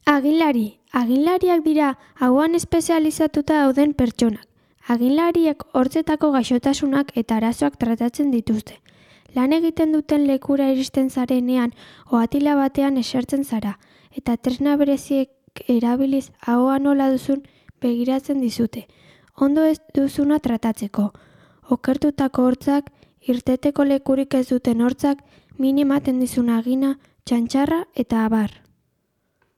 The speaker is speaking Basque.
Aginlariak dira hauan espezializatuta dauden pertsonak. Aginlariek hortzetako gaixotasunak eta arazoak tratatzen dituzte. Lan egiten duten lekura iristen zarenean ohatila batean esertzen zara, eta tresna bereziek erabiliz ahoa nola duzun begiratzen dizute. Ondo ez duzuna tratatzeko. Okertutako hortzak, irteteko lekurik ez duten hortzak, min ematen dizun agina, txantxarra eta abar.